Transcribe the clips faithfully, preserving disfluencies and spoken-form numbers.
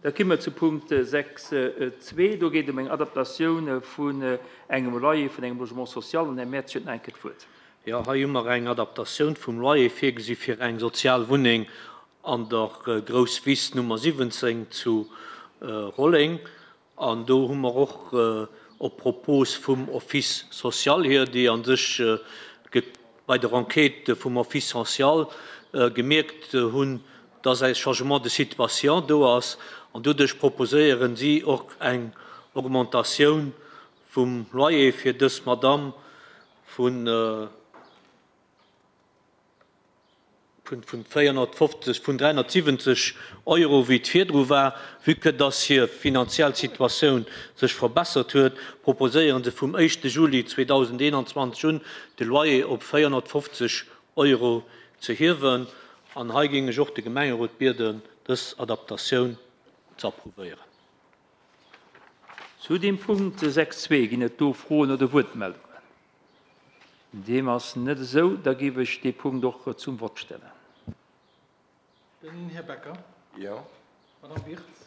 Da komme mer zu Punkt sechs zwee. Do geet et ëm eng Adaptatioun vun engem Loyer vun engem Logement social. An Här Mertz huet nach eng Kéier d'Wuert. Jo, hei hu mer eng Adaptatioun vum Loyer virgesi fir eng sozial Wunneng an der Grousswiss Nummer siwwenzéng zu Rolleng. An do hu mer och op Propos vum Office social hier, déi a sech bei der Enquête vum Office social gemierkt hunn, dass e Changement de situation do ass, an doduerch proposéieren si och eng Augmentatioun vum Loyer fir dës Madame vun vun véierhonnertfofzeg, vun dräihonnertsiwwenzeg Euro, wéi et virdru war. Vue que dass hir finanziell Situatioun sech verbessert huet, proposéieren se vum éischte Juli zweedausendeenanzwanzeg un, de Loyer op véierhonnertfofzeg Euro ze hiewen. An hei géing ech och de Gemengerot bieden, dës Adaptatioun ze approuvéieren. Zu deem Punkt sechs zwee ginn et do Froen oder Wuertmeldungen? Deem ass net esou. Da géif ech dee Punkt och zum Vott stellen. Den Här Becker. Jo. Madame Wirtz.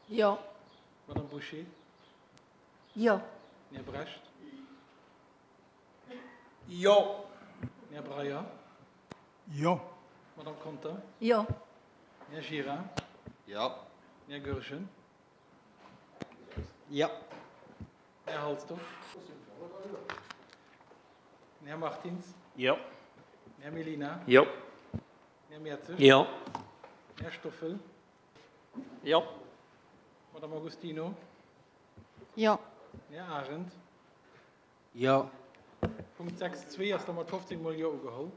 Jo. Madame Boucher. Jo. Den Här Brecht. Jo. Den Här Breyer. Jo. Madame Conter. Jo. Den Här Gira. Jo. Den Här Goergen. Jo. Den Här Halsdorf. Den Här Martins. Jo. Den Här Mellina. Jo. Den Här Mertzig. Jo. Den Här Stoffel. Jo. Madame Agostino. Jo. Den Här Arendt. Jo. Punkt sechs zwee ass da mat fofzéng Mol Jo ugeholl.